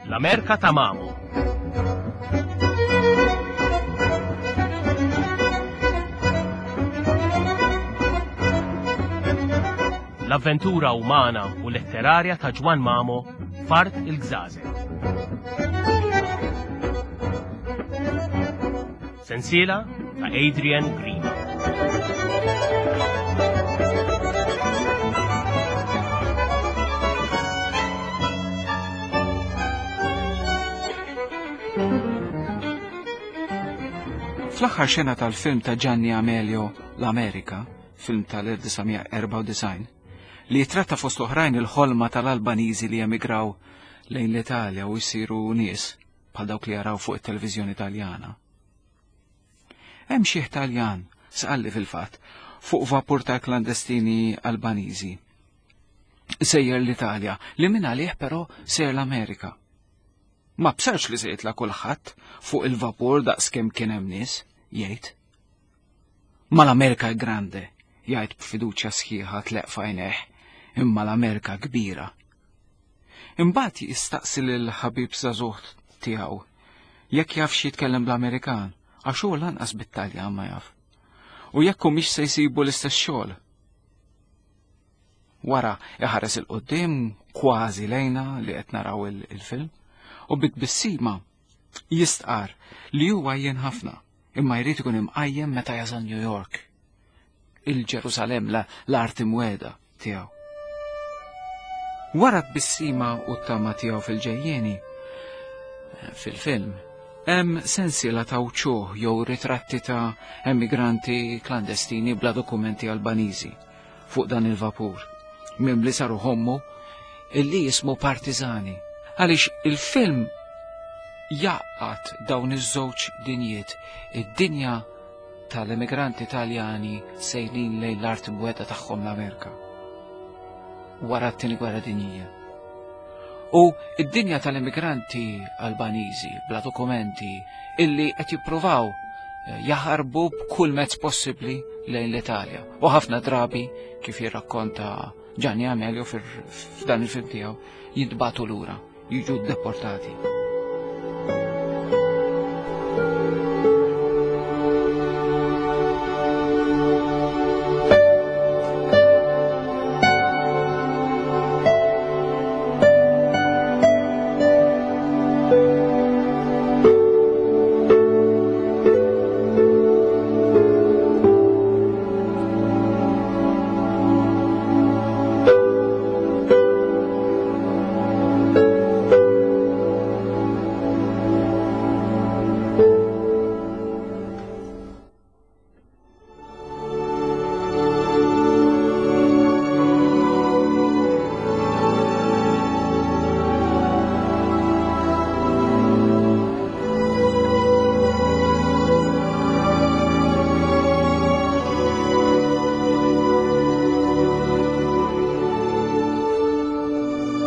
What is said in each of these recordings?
L-Amerika ta' Mamo. L-avventura umana u letterarja ta' Ġwann Mamo f'Art il-Gżażel. Sensiela ta' Adrian Grima. Fl-aħħar xena tal-film ta' Gianni Amelio L-Amerika, film tal-1994, li jitratta fost oħrajn il-ħolma tal-Albaniżi li emigraw lejn l-Italja u jsiru nies bħal dawk li jaraw fuq it-televiżjoni Taljana. Hemm xi Taljan, sqalli fil-fatt, fuq vapur ta' klandestini Albaniżi. Sejjer l-Italja, li minn għalih però sejjer l-Amerika. Ma bsarx li se jitla' kulħadd fuq il-vapur daqskemm kien hemm nies, jgħid. Ma l-Amerika è grande, jgħid b'fiduċja sħiħa tleq f'għajnejh, imma l-Amerika kbira. Imbagħad jistaqsi lil ħabib żagħżugħ tiegħu jekk jafx jitkellem bl-Amerikan, għax hu lanqas bit-Taljan ma jaf. U jekk humiex se jsibu l-istess xogħol. Wara iħares 'il quddiem kważi lejna li qed naraw il-film u bi tbissima jistqar li huwa jien ħafna imma jrid ikun imqajjem meta jasal New York. Il-Ġerusalem l-art imweda tiegħu. Wara tbissima u t-tama tiegħu fil-ġejjieni, fil-film, hemm sensiela ta' wċuħ jew ritratti ta' emigranti klandestini bla dokumenti Albaniżi fuq dan il-vapur, mimli saru ħommu illi jismu Partizani. Għaliex il-film jaqgħad dawn iż-żewġ dinjiet, id-dinja tal-emigranti Taljani sejrin lejn l-art imweda tagħhom l-Amerika wara t-tieni gwerra dinjija. U id-dinja tal-immigranti Albaniżi bla dokumenti illi qed jippruvaw eh, jaħarbu b'kull mezz possibbli lejn l-Italja. U ħafna drabi, kif jirrakkonta Gianni Amelio f'dan il-film tiegħu, jintbagħtu lura jiġu deportati.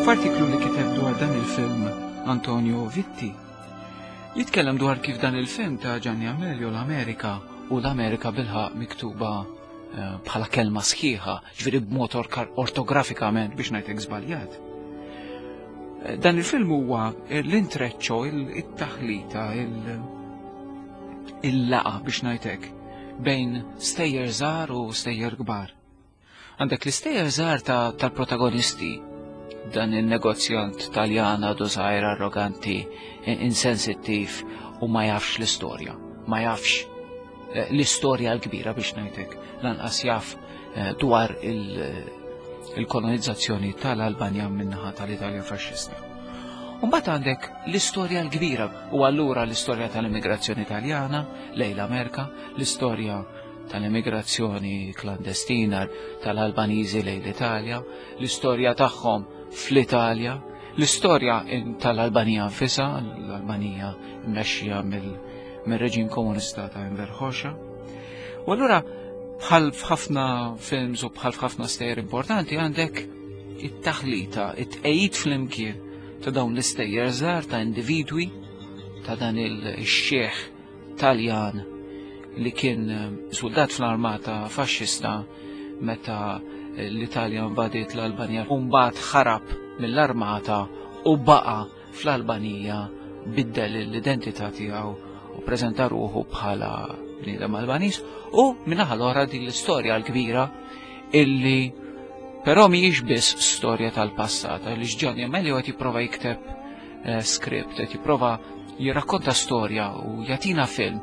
F'artiklu li kiteb dwar dan il-film Antonio Vitti, jitkellem dwar kif dan il-film ta' Gianni Amelio l-Amerika u l-Amerika bilħaq miktuba eh, bħala kelma sħiħa, ġifieri b'mod ortografikament biex ngħidlek żbaljat. Eh, dan il-film huwa l-intreccio, il-taħlita, il-laqa biex ngħidlek bejn stejjer żgħar u stejjer kbar. Għandek l-istejjer żgħar tal-protagonisti, dan il-negozjant Taljan għadu żgħir arroganti, insensittiv u ma jafx l-istorja, ma jafx eh, l-istorja l-kbira biex ngħidlek, lanqas jaf eh, dwar il-kolonizzazzjoni tal-Albanja minnaħa tal-Italja faxxista. Mbagħad għandek l-istorja l-kbira u allura l-istorja tal-immigrazzjoni Taljana lejn l-Amerika, l-istorja tal-emigrazzjoni klandestina tal-Albaniżi lejn l-Italja, l-istorja tagħhom fl-Italja, l-istorja tal-Albanija nfisha, l-Albanija mmexxija mill-reġim komunista ta' Enver Hoxha. U allura bħal f'ħafna films u bħal f'ħafna stejjer importanti għandek it-taħlita, it-tqejjid flimkien ta' dawn l-istejjer żgħar ta' individwi ta' dan il-xieħ Taljan li kien eh, soldat fl-armata faxxista meta eh, l-Italja invadiet l-Albanija u mbagħad ħarab mill-armata u baqa' fl-Albanija biddel l-identità tiegħu u preżenta ruħu bħala bniedem Albaniż u minnaħa l-oħra din l-istorja l-kbira illi però mhijiex biss storja tal-passat għaliex Gianni Amelio qed jipprova jikteb eh, script, qed jipprova jirrakkonta storja u jagħtina film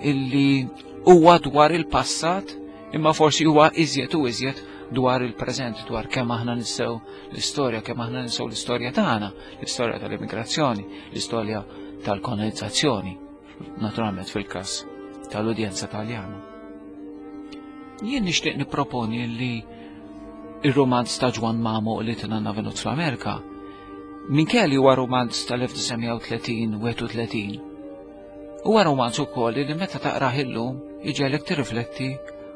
illi huwa dwar il-passat imma forsi huwa iżjed u iżjed dwar il-preżent, dwar kemm aħna nissew l-istorja, kemm aħna ninsew l-istorja tagħna, l-istorja tal-immigrazzjoni, l-istorja tal-kolonizzazzjoni, naturalment fil-każ tal-udjenza Taljana. Jien nixtieq nipproponi li ir-romanz ta' Ġwan Mamo li tinanna venut fl-Amerika, minkejja li huwa romanz tal-1930 31, huwa romanz ukoll li meta taqrah illum iġegħlek tirrifletti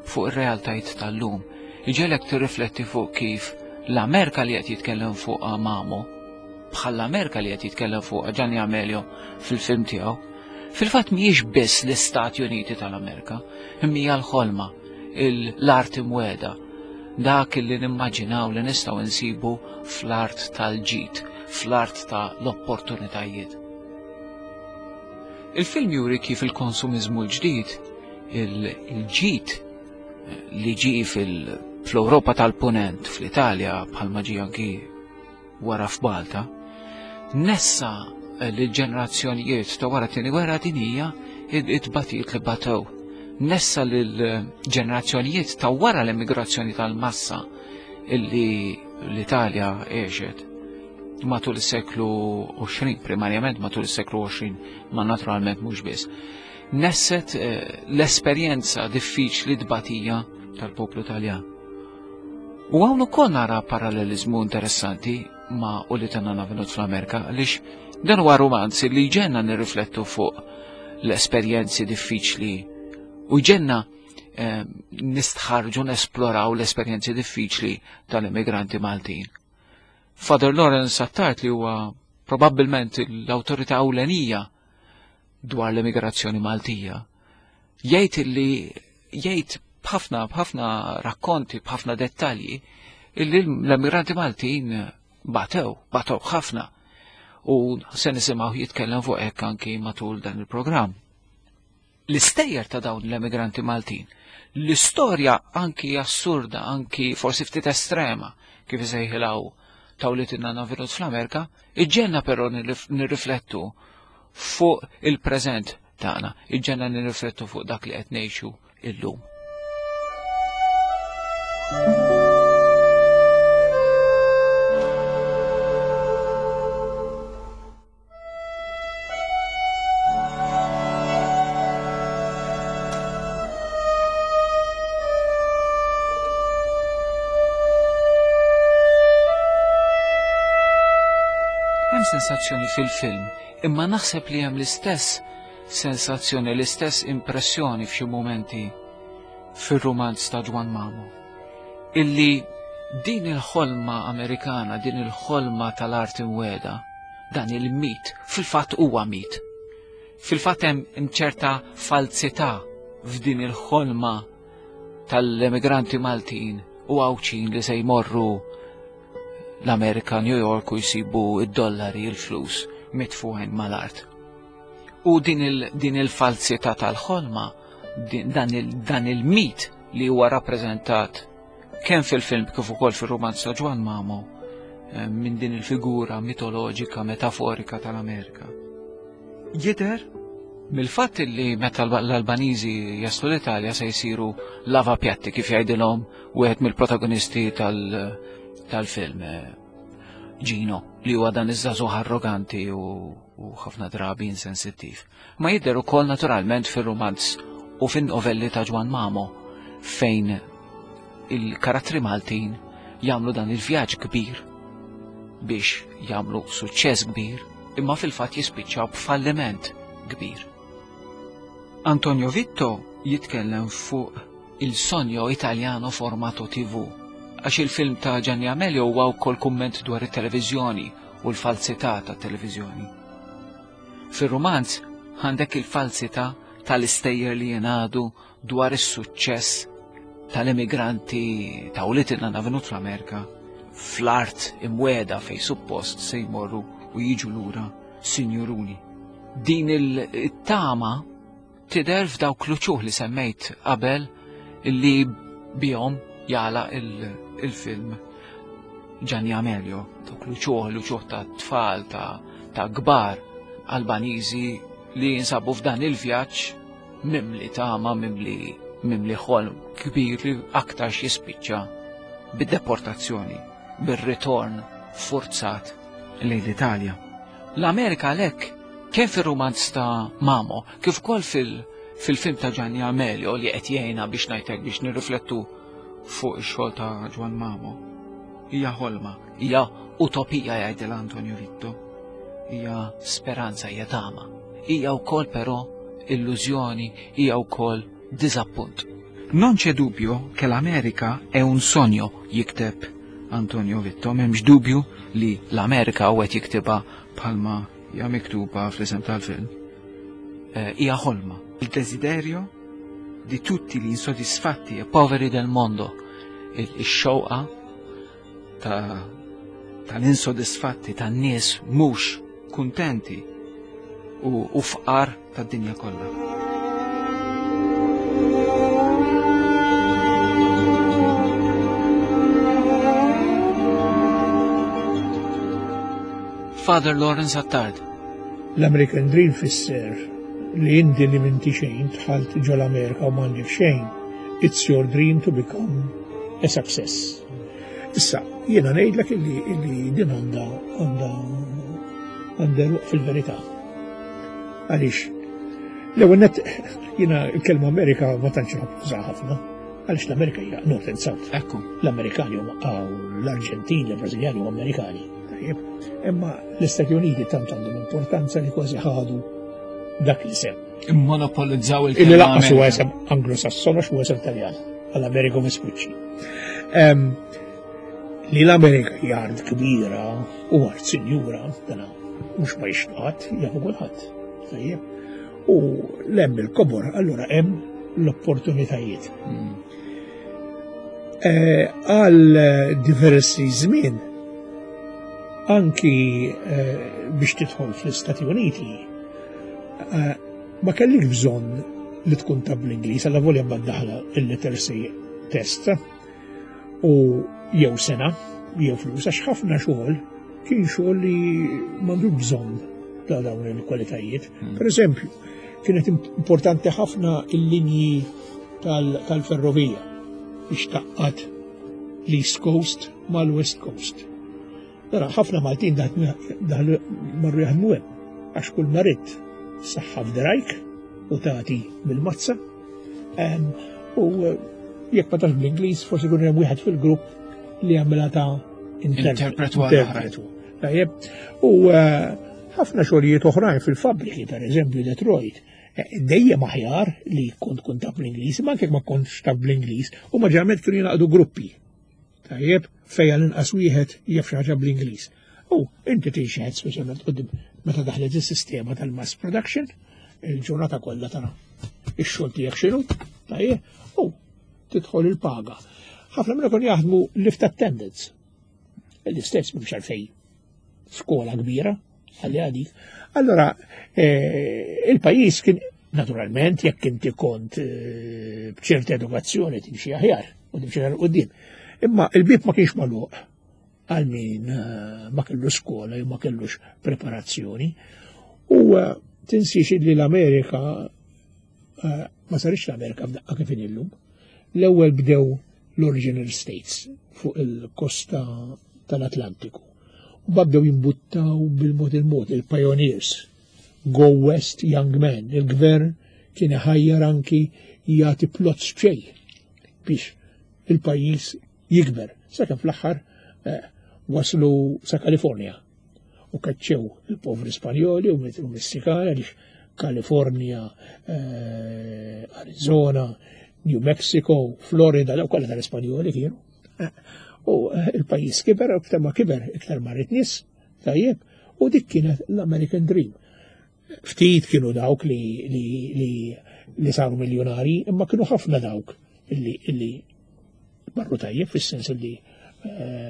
fuq ir-realtajiet tal-lum. Iġegħlek tirrifletti fuq kif l-Amerika li qed jitkellem fuqha Mamo, bħall-Amerika li qed jitkellem fuqha Gianni Amelio fil-film tiegħu, fil-fatt mhijiex biss l-Istati Uniti tal-Amerika, imma hija l-ħolma, l-art imweda, dak li nimmaġinaw li nistgħu nsibu fl-art tal-ġid, fl-art ta' l-opportunitajiet. Il-film juri kif il-konsumiżmu l-ġdid, il-ġid li ġie fl-Ewropa tal-Punent, fl-Italja, bħalma ġie anki wara f'Malta, nessa lill-ġenerazzjonijiet ta' wara t-tieni gwerra dinjija it-tbatijiet li batew. Nessa lill-ġenerazzjonijiet ta' wara l-immigrazzjoni tal-massa illi l-Italja għexet matul is-seklu 20, primarjament matul is-seklu 20, ma naturalment mhux biss. Nesset eh, l-esperjenza diffiċli tbatija tal-poplu Taljan. U hawn ukoll nara parallelizmu interessanti ma' u li tanna navenut fl-Amerika għaliex dan huwa romanz li ġenna nirriflettu fuq l-esperjenzi diffiċli u ġenna eh, nistħarġu nesploraw l-esperjenzi diffiċli tal-immigranti Maltin. Father Lawrence Attard li huwa probabbilment l-awtorità ewlenija dwar l-immigrazzjoni Maltija, jgħid li jgħid b'ħafna b'ħafna rakkonti, b'ħafna dettalji illi l-immigranti Maltin batew, batew ħafna. U se nisimgħu jitkellem fuq hekk anki matul dan il-programm. L-istejjer ta' dawn l-emigranti Maltin, l-istorja anki assurda, anki forsi ftit estrema, kif isejħilha ta' wlied in-nanna Venut fl-Amerika, iġġenna però nirriflettu fuq il-preżent tagħna, iġġenna nirriflettu fuq dak li qed ngħixu illum. Hemm sensazzjoni fil-film, imma naħseb li hemm l-istess sensazzjoni, l-istess impressjoni f'xi mumenti fir-rumanz ta' Ġwan Mamo. Illi din il-ħolma Amerikana, din il-ħolma tal-art imweda, dan il-mit, fil-fatt huwa mit. Fil-fatt hemm ċerta falzità f'din il-ħolma tal-emigranti Maltin u Għawdxin li se jmorru l-Amerika, New York u jsibu id-dollari, il-flus mitfuħin mal-art. U din il-falzità tal-ħolma, dan il-mit li huwa rappreżentat kemm fil-film kif ukoll fir-rumanz ta' Ġwan Mamo eh, minn din il-figura mitoloġika metaforika tal-Amerika. Jidher mill-fatt li meta l-Albaniżi jaslu l-Italja se jsiru lava pjatti kif jgħidilhom wieħed mill-protagonisti tal-film eh, Gino li huwa dan iż-żagħżugħ arroganti u ħafna drabi insensittiv. Ma jidher ukoll naturalment fir-rumanz u fin-novelli ta' Ġwan Mamo fejn il-karattri Maltin jagħmlu dan il-vjaġġ kbir biex jagħmlu suċċess kbir imma fil-fatt jispiċċaw b'falliment kbir. Antonio Vitto jitkellem fuq il-Sogno Italiano formato TV għax il-film ta' Gianni Amelio huwa wkoll kumment dwar it-televiżjoni. u l-falsità tat-televiżjoni. Fir-rumanz għandek il-falsità tal-istejjer li jingħadu dwar is-suċċess tal-immigranti ta' ulied in-nanna venut fl-Amerika fl-art imweda fej suppost se jmorru u jiġu lura sinjuruni. Din il-tama tidher f'dawk l-uċuħ li semmejt qabel li bihom jala il-film Gianni Amelio, dawk l-uċuħ, l-uċuħ ta' tfal, ta' kbar Albaniżi li jinsabu f'dan il-vjaġġ mimli tama, mimli mimli ħolm kbir li aktarx jispiċċa bid-deportazzjoni, bir-ritorn forzat lejn l-Italja. L-Amerika għalhekk kemm fir-rumanz ta' Mamo kif ukoll fil-film ta' Gianni Amelio li qed jgħinna biex ngħidlek biex nirriflettu fuq ix-xogħol ta' Ġwann Mamo. Hija ħolma, hija utopija jgħidilha Antonio Vitto. Hija speranza, hija tama. Hija wkoll però illużjoni, hija wkoll diżappunt. Non c'è dubbio che l'America è un sogno, jikteb Antonio Vitto, m'hemmx dubju li l-Amerika u qed jiktibha bħalma hija miktuba fl-isem tal-film. Eh, hija ħolma. Il desiderio di tutti gli insoddisfatti e poveri del mondo, ix-xewqa ta' tal-insodisfatti, tan-nies mhux kuntenti u fqar tad-dinja kollha. Father Lawrence Attard. L-American Dream fisser li inti li minti xejn dħalt ġol-Amerika u m'għandek xejn. It's your dream to become a success. Issa, jiena ngħidlek illi illi din għandha għandha għandha fil-verità. Għaliex, l-ewwel net jiena l-kelma Amerika ma tantx nħobb ħafna, għaliex l-Amerika hija North and South. Ekku. L-Amerikani huma l-Arġentini, l-Brażiljani huma Amerikani. Tajjeb, imma l-Istati Uniti tant għandhom importanza li kważi ħadu dak li sem. Immonopolizzaw il-kelma. Illi laqqas huwa isem Anglo-Sasson għax huwa isem Taljan, għall-Amerigo Vespucci. Li l-Amerika hija art kbira u art sinjura, dana mhux ma jixtaqat, jafu kulħadd. Tajjeb. U l-hemm il-kobor, allura hemm l-opportunitajiet. Hmm. Eh, għal diversi żmien anki eh, biex tidħol fl-Istati Uniti eh, ma kellik bżonn li tkun taf bl-Ingliż, għalla volja daħla il-literacy test u jew sena, jew flus, għax ħafna xogħol kien xogħol li m'għandu bżonn ta' dawn il-kwalitajiet. Hmm. Per eżempju, kienet importanti ħafna il-linji tal-ferrovija biex taqqat l-East Coast mal-West Coast. Mela ħafna Maltin daħlu marru jaħdmu hemm għax kull ma ridt saħħa f'drajk u tagħti bil-mazza. U eh, jekk ma tafx bl-Ingliż forsi jkun hemm wieħed fil-grupp li jagħmilha ta' interpretu. Tajjeb. U eh, ħafna xogħlijiet oħrajn fil-fabbriki, per eżempju Detroit, eh, dejjem aħjar li kont kont taf bl-Ingliż, ma anke ma kontx taf bl-Ingliż, u ma ġeneralment kienu jingħaqdu gruppi. Tajjeb, fejn għall-inqas wieħed jaf xi ħaġa bl-Ingliż. U inti tixhed speċjalment qudiem meta daħlet is-sistema tal-mass production, il-ġurnata kollha tara ix-xogħol tiegħek x'inhu, tajjeb, u tidħol il-paga. Ħafna minnhom kienu jaħdmu lift attendants. L-istess mhux għalfejn skola kbira, għalli għadik. Allora, eh, il-pajis kien, naturalment, jekk inti kont eh, bċerta edukazzjoni timxi aħjar u timxi għal qudiem. Imma il-bib ma kienx magħluq għal min eh, ma kellu skola jew ma kellux preparazzjoni. U tinsiex li l-Amerika ma sarix l-Amerika f'daqqa kif illum. L-ewwel bdew l-original states fuq il-kosta tal-Atlantiku. U bdew jimbuttaw bil-mod il-mod il-pioneers, Go West Young Men, il-gvern kien iħajjar anki jagħti plots b'xejn biex il-pajjiż jikber. Sakemm fl-aħħar eh, waslu sa Kalifornja u kaċċew il-povri Spanjoli u Messikani għaliex Kalifornja, eh, Arizona, New Mexico, Florida, daw kollha tal-Ispanjoli kienu. Eh, u eh, il-pajjiż kiber, iktar ma kiber, iktar marret nies. Tajjeb, u dik kienet l-American Dream. Ftit kienu dawk li, li, li, li saru miljonari, imma kienu ħafna dawk illi, illi marru tajjeb fis-sens li eh,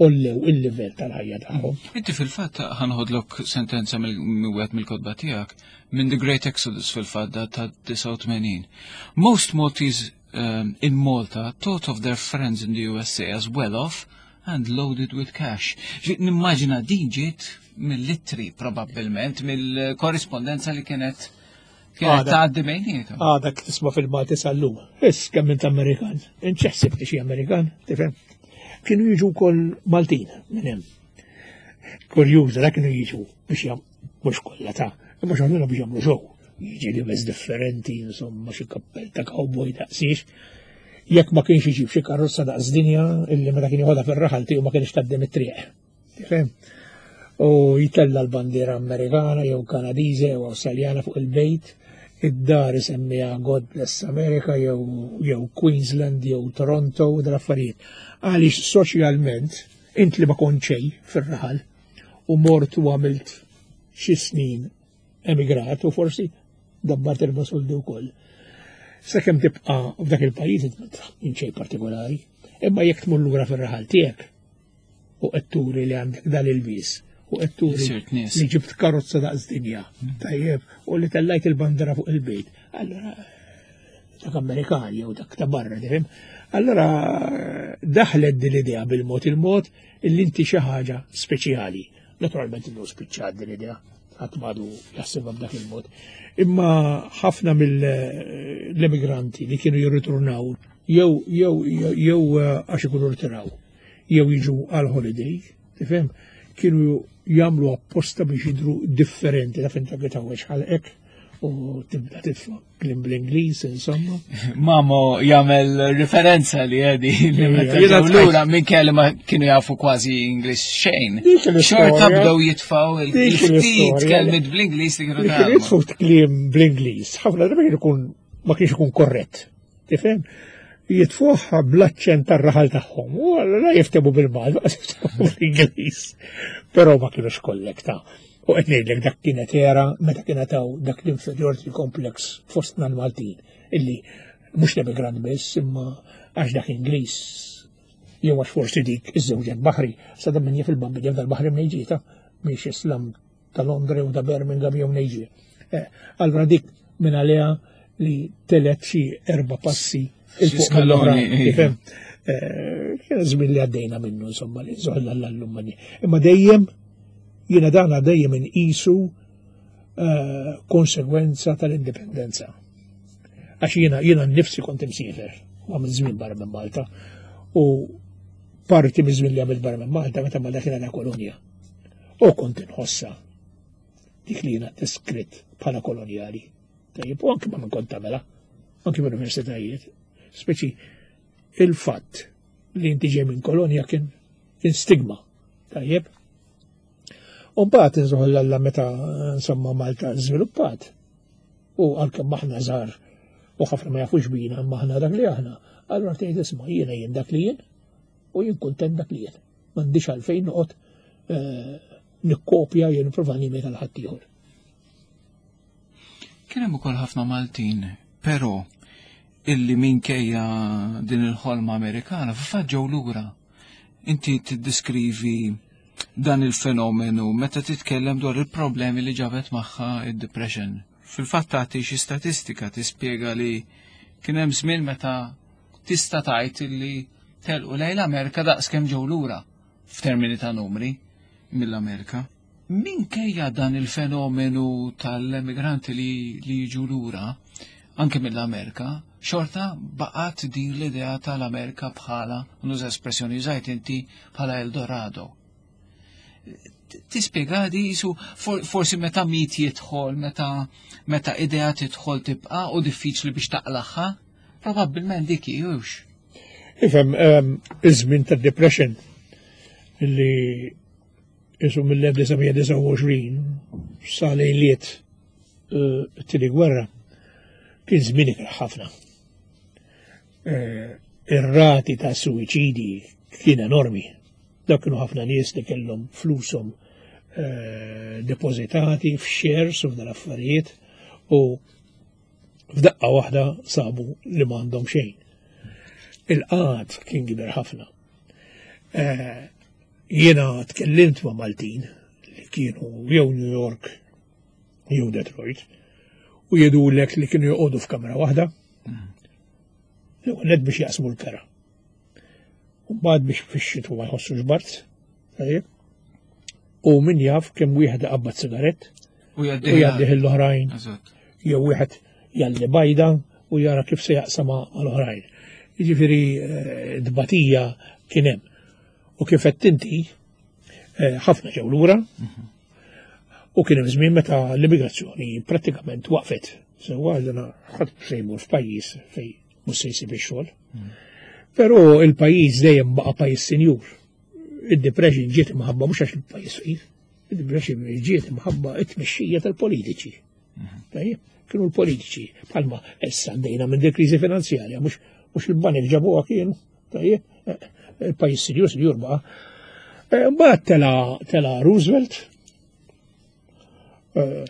ollew il-livell tal-ħajja tagħhom. Inti fil-fatt ħanħodlok sentenza mill-wieħed mill-kotba tiegħek minn The Great Exodus fil-fatt ta' 89. Most Maltese um, in Malta thought of their friends in the USA as well off and loaded with cash. Nimmaġina din ġiet mill-ittri probabbilment, mill-korrispondenza li kienet kienet tgħaddi bejnietom. Għadak tisma' fil-Malti sal-lum. Is kemm int Amerikan. Inċeħsib li xi Amerikan, tifhem? Kienu jiġu wkoll Maltin minn hemm. Kurjuża dak kienu jiġu biex jam mhux kollha ta' imma xogħolna biex jagħmlu show. Jiġi libes differenti, insomma, xi kappell ta' cowboy daqsiex. Jekk ma kienx iġib xi karozza daqs dinja illi meta kien joħodha fir-raħal tiegħu ma kienx tgħaddi mit-triq. Tifhem? U jtella l-bandiera Amerikana jew Kanadiża jew Awstraljana fuq il-bejt, id-dar isemmiha God Bless America jew jew Queensland jew Toronto u dal-affarijiet. Għaliex soċjalment int li ma kont xejn fir-raħal u mort u għamilt xi snin emigrat u forsi dabbart erba' soldi wkoll. Sakemm tibqa' f'dak il-pajjiż int ma xejn partikolari, imma jekk tmur lura fir-raħal tiegħek u qed turi li għandek dan il-bies u qed turi li ġibt karozza daqs dinja, mm. tajjeb, u li tellajt il-bandera fuq il-bejt. Allora dak Amerikan jew dak ta' barra, tifhem? Allora daħlet din l-idea bil-mod il-mod illi inti xi ħaġa speċjali. Naturalment innu spiċċat din l-idea, ħadd m'għadu jaħsibha b'dak il-mod. Imma ħafna mill-emigranti li kienu jirriturnaw jew jew jew eh, għax ikunu rtiraw jew jiġu għal holiday, tifhem, kienu jagħmlu apposta biex jidru differenti, taf inta tawweġ ħalqek u tibda titfa' klim bl-Ingliż, insomma. Mamo jagħmel referenza li għedi li meta lura minn kelli ma kienu jafu kważi Ingliż xejn. Xorta bdew jitfaw il-ftit kelmiet bl-Ingliż li kienu tagħmlu. Jitfgħu kliem bl-Ingliż, ħafna drabi ikun ma kienx ikun korrett. Tifhem? Jitfuħ bl-aċċent tar-raħal tagħhom. U allura jiftemu bil-Malti, jiftemu bl-Ingliż. Però ma kienux kollek ta' U qed ngħidlek dak kienet era meta kienet hawn dak l-inferiority complex fostna l-Maltin illi mhux l-emigrant biss imma għax dak Ingliż jew għax forsi dik iż-żewġet baħri sa dan min jaf il-bambin jaf dal-baħri minn ġieta mhix Islam ta' Londra jew ta' Birmingham jew nejġi. Eh, allura dik minn għaliha li telet xi erba' passi il-fuq mill-oħrajn. Iva. Eh, kien żmien li għaddejna minnu insomma li żoħla l-allum Imma dejjem jiena dana dejjem inqisu eh, konsegwenza tal-indipendenza. Għax jiena jiena nnifsi kont imsiefer għamil żmien barra minn Malta u parti miż-żmien li għamilt barra minn Malta meta Malta kienet kolonja. U kont inħossha dik li jiena deskritt bħala kolonjali. Tajjeb, u anki ma minn kont tagħmilha, anki mill-universitajiet. Speċi il-fatt li inti ġej minn kolonja kien kien stigma. Tajjeb. U mbagħad inżoħol alla meta insomma Malta żviluppat. U għalkemm aħna żgħar u ħafna ma jafux bina imma aħna dak li aħna, allura tgħid isma' jiena jien dak li jien u jien kuntent dak li jien. M'għandix għalfejn noqgħod eh, nikkopja jew nipprova nimita l ħaddieħor. Kien hemm ukoll ħafna Maltin, però illi minkejja din il-ħolma Amerikana fil-fatt ġew lura. Inti tiddiskrivi dan il-fenomenu meta titkellem dwar il-problemi li ġabet magħha id-depression. Fil-fatt tagħti xi statistika tispjega li kien hemm żmien meta tista' tgħid illi telqu lejn l-Amerika daqs kemm ġew lura f'termini ta' numri mill-Amerika. Minkejja dan il-fenomenu tal-emigranti li, li jiġu lura, anke mill-Amerika, xorta baqgħet din l-idea tal-Amerika bħala, nuża espressjoni użajt inti, bħala Eldorado. Tispjega di jisu forsi meta mit jidħol, meta meta idea tidħol tibqa' u diffiċli biex taqlaħħa, probabbilment dik hux. Ifhem, ehm, iż-żmien tad-depression li jisu mill-1929 sa lejliet eh, it-tieni gwerra kien żmien ikrah ħafna. Eh, ir-rati ta' suwiċidi kien enormi. Dak kienu ħafna nies li kellhom flushom eh, depożitati f'shares u f'dal affarijiet u f'daqqa waħda sabu li m'għandhom xejn. Il-qgħad kien kbir ħafna. Eh, jiena tkellimt ma' Maltin li kienu jew New York jew Detroit u jgħidulek li kienu joqogħdu f'kamra waħda. Mm. L-ewwel biex jaqsmu l-kera. U mbagħad biex fix-xitwa ma jħossux bard. Tajjeb. U min jaf kemm wieħed iqabbad sigarett u jgħaddih l-oħrajn. Jew wieħed jalli bajda u jara kif se jaqsama għal-oħrajn. Jiġifieri eh, dbatija kien hemm. U kif qed inti eh, ħafna ġew lura mhm. u kien hemm żmien meta l-immigrazzjoni prattikament waqfet. Sewwa għandna ħadd se jmur f'pajjiż fejn mhux se jsib ix-xogħol. Mhm. Però il-pajjiż dejjem baqa' pajjiż sinjur. Id-depression ġiet imħabba mhux għax il-pajjiż fqir, id-depression ġiet imħabba it-tmexxija tal-politiċi. Mhm. Tajjeb, kienu l-politiċi bħalma issa għaddejna minn dik kriżi finanzjarja, mhux mhux il-banek ġabuha kienu, tajjeb, eh, il-pajjiż sinjur sinjur baqa'. Eh, mbagħad tela tela Roosevelt, eh,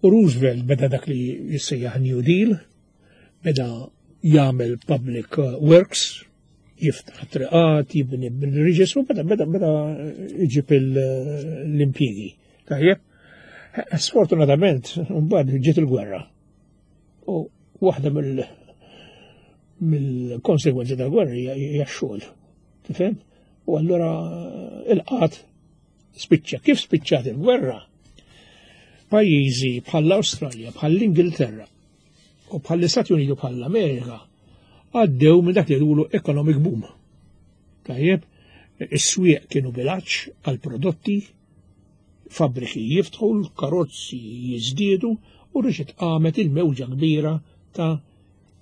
u Roosevelt beda dak li jissejjaħ New Deal, beda jagħmel public works, jiftaħ triqat, jibni bridges u beda beda beda jġib l-impjiegi. Tajjeb, sfortunatament, mbagħad ġiet il-gwerra. U waħda mill mill-konsegwenzi tal-gwerra hija x-xogħol. Tifhem? U allura il-qat spiċċa. Kif spiċċat il-gwerra? Pajjiżi bħall-Awstralja, bħall-Ingilterra u bħall-Istati Uniti u bħall-Amerika għaddew minn dak li jgħidulu economic boom. Tajjeb, is-swieq kienu bilaċ għal prodotti, fabbriki jiftħu, l-karozzi jiżdiedu u reġgħet qamet il-mewġa kbira ta'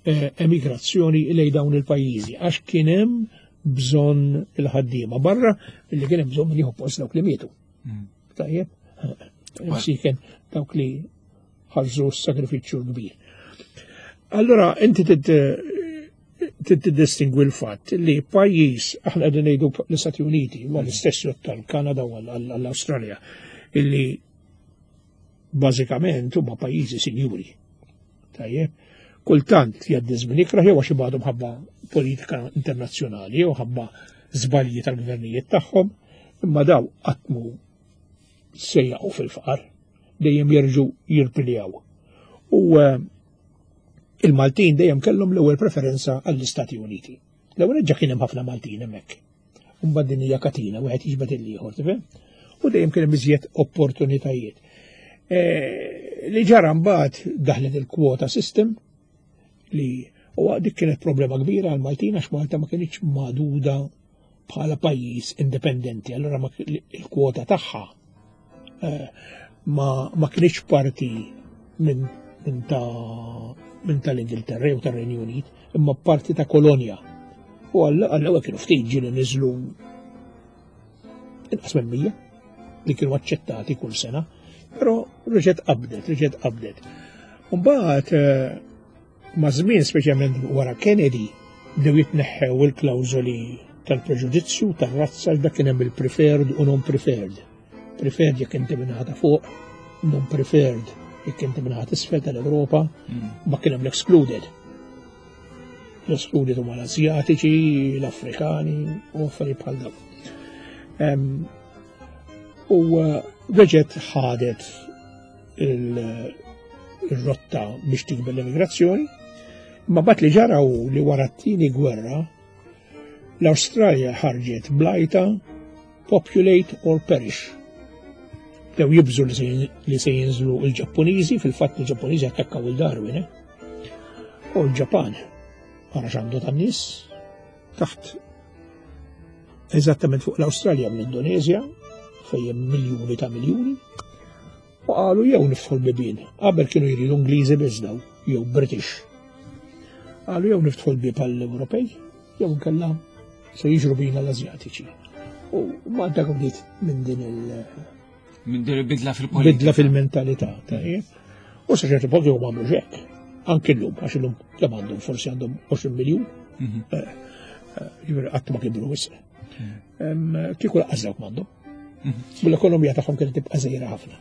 eh, emigrazzjoni lej dawn il-pajjiżi għax kien hemm bżonn il-ħaddiema barra li kien hemm bżonn min jieħu post dawk li mietu. Mm. Tajjeb, msiken dawk li ħarġu s-sagrifiċċju kbir. Allora inti tiddistingwi l-fatt li pajjiż aħna qegħdin ngħidu l-Istati Uniti, ma l-istess jott tal-Kanada u għall-Awstralja, illi bażikament huma pajjiżi sinjuri. Tajjeb, kultant jgħaddi żmien ikrah jew għax ibgħadu mħabba politika internazzjonali jew ħabba żbalji tal-gvernijiet tagħhom, imma daw qatt mu se jaqgħu fil-faqar, dejjem jerġgħu jirpiljaw. U eh, il-Maltin dejjem kellhom l-ewwel preferenza għall-Istati Uniti. L-ewwel ġa kien hemm ħafna Maltin hemmhekk. Imbagħad din hija katina, wieħed jiġbed il-ieħor, tifhem? U dejjem kien hemm iżjed opportunitajiet. Eh, li ġara mbagħad daħlet il-kwota system li u dik kienet problema kbira għal Maltin għax Malta ma kienx maduda bħala pajjiż indipendenti, allura il-kwota tagħha eh, ma, ma kienx parti minn min ta' minn tal-Ingilterra jew tar-Renju Unit, imma parti ta' kolonja. U għall-ewwel kienu ftit ġieli niżlu inqas minn 100 li kienu aċċettati kull sena, però reġgħet qabdet, reġgħet qabdet. Mbagħad eh, Ma' żmien, speċjalment wara Kennedy, bdew jitneħħew il-klawżoli tal-preġudizzju tar-razza dak kien hemm il-preferred u non-preferred. Preferred jekk inti minn ta' fuq, non-preferred jekk inti minn isfel tal-Ewropa, mm. ma kien hemm l-excluded. L-excluded huma l-Asjatiċi, l-Afrikani u affarijiet bħal dawk. U eh, reġgħet ħadet il-rotta biex tikber l-immigrazzjoni, ma bat li ġara u li wara t-tieni gwerra l-Awstralja ħarġet blajta populate or perish. Dew jibżu li se jinżlu il-Ġappuniżi, fil-fatt il-Ġappuniżi attakkaw il-Darwin, eh? U l-Ġapan, għara xandu tan-nies, taħt eżattament fuq l-Awstralja mill-Indonezja, fejn miljuni ta' miljuni, u qalu jew niftħu l-bibien. Qabel kienu jridu Ingliżi biss daw, jew British. Qalu jew niftħu l-bib għall-Ewropej, jew nkella se jiġru bina l-Azjatiċi. U Malta bdiet minn din il- Minn din il-bidla fil-politika. Bidla fil-mentalità, tajjeb. U sa ċertu punt jew għamlu xek. Anki llum, għax illum kemm għandhom forsi għandhom 20 miljun. Mhm. Eh, eh, ġifieri qatt ma kibru wisq. Mhm. Kieku laqqas dawk m'għandhom. U l-ekonomija tagħhom kienet tibqa' żgħira ħafna.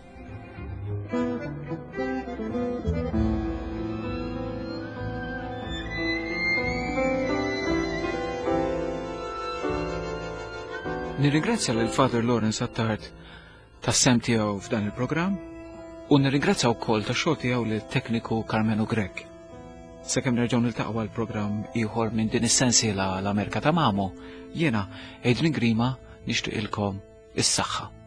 Nirringrazzja lil Father Lawrence Attard tas-sem tiegħu f'dan il-programm u nirringrazzja wkoll tax-xogħol tiegħu lil tekniku Carmenu Grech. Sakemm nerġgħu niltaqgħu għal programm ieħor minn din is-sensiela l-Amerika ta' Mamo, jiena Adrian Grima nixtieqilkom is-saħħa.